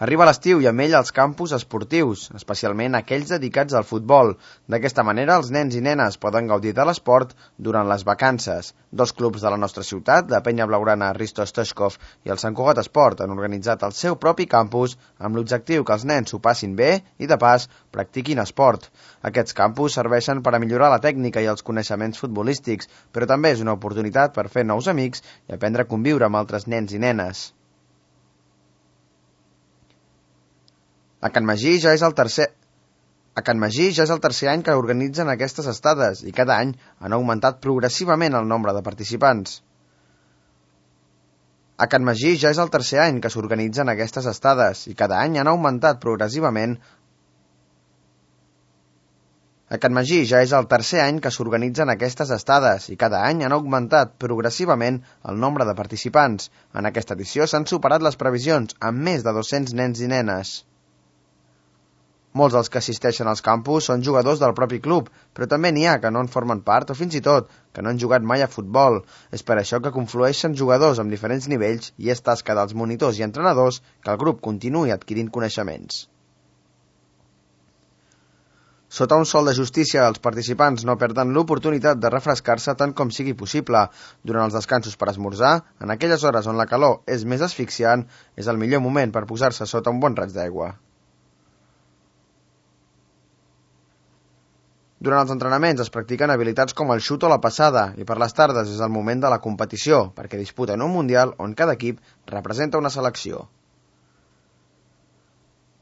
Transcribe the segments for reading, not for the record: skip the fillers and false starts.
Arriba l'estiu i amb ell els campus esportius, especialment aquells dedicats al futbol. D'aquesta manera, els nens i nenes poden gaudir de l'esport durant les vacances. Dos clubs de la nostra ciutat, la Penya Blaugrana Risto Stoichkov i el Sant Cugat Esport, han organitzat el seu propi campus amb l'objectiu que els nens s'ho passin bé i, de pas, practiquin esport. Aquests campus serveixen per a millorar la tècnica i els coneixements futbolístics, però també és una oportunitat per fer nous amics i aprendre a conviure amb altres nens i nenes. A Can Magí ja és el tercer any que organitzen aquestes estades i cada any han augmentat progressivament el nombre de participants. A Can Magí ja és el tercer any que s'organitzen aquestes estades i cada any han augmentat progressivament A Can Magí ja és el tercer any que s'organitzen aquestes estades i cada any han augmentat progressivament el nombre de participants. En aquesta edició s'han superat les previsions amb més de 200 nens i nenes. Molts dels que assisteixen als campus són jugadors del propi club, però també n'hi ha que no en formen part o fins i tot que no han jugat mai a futbol. És per això que conflueixen jugadors amb diferents nivells i és tasca dels monitors i entrenadors que el grup continuï adquirint coneixements. Sota un sol de justícia, els participants no perden l'oportunitat de refrescar-se tant com sigui possible. Durant els descansos per esmorzar, en aquelles hores on la calor és més asfixiant, és el millor moment per posar-se sota un bon raig d'aigua. Durant els entrenaments es practiquen habilitats com el xut o la passada i per les tardes és el moment de la competició, perquè disputen un mundial on cada equip representa una selecció.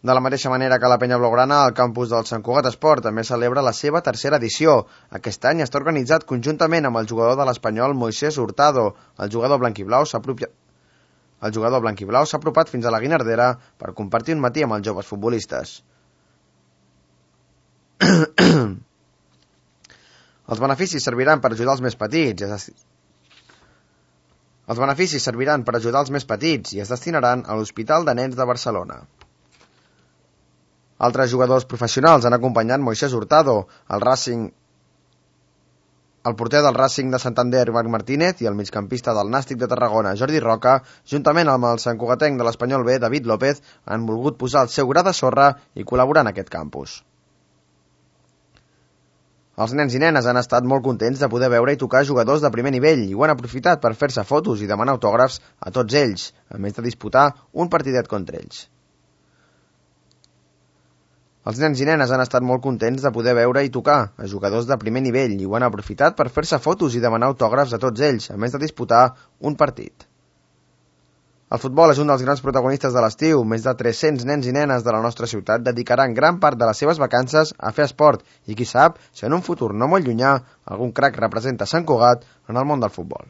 De la mateixa manera que la Penya Blaugrana, el campus del Sant Cugat Esport també celebra la seva tercera edició. Aquest any està organitzat conjuntament amb el jugador de l'Espanyol Moisés Hurtado. El jugador blanquiblau s'ha apropat fins a la Guinardera per compartir un matí amb els joves futbolistes. Els beneficis serviran per ajudar els més petits i es destinaran a l'Hospital de Nens de Barcelona. Altres jugadors professionals han acompanyat Moisés Hurtado, el porter del Racing de Santander, Marc Martínez, i el migcampista del Nàstic de Tarragona, Jordi Roca, juntament amb el santcugatenc de l'Espanyol B, David López, han volgut posar el seu gra de sorra i col·laborar en aquest campus. Els nens i nenes han estat molt contents de poder veure i tocar jugadors de primer nivell i ho han aprofitat per fer-se fotos i demanar autògrafs a tots ells, a més de disputar un partidet contra ells. Els nens i nenes han estat molt contents de poder veure i tocar a jugadors de primer nivell i ho han aprofitat per fer-se fotos i demanar autògrafs a tots ells, a més de disputar un partit. El futbol és un dels grans protagonistes de l'estiu. Més de 300 nens i nenes de la nostra ciutat dedicaran gran part de les seves vacances a fer esport i qui sap si en un futur no molt llunyà algun crac representa Sant Cugat en el món del futbol.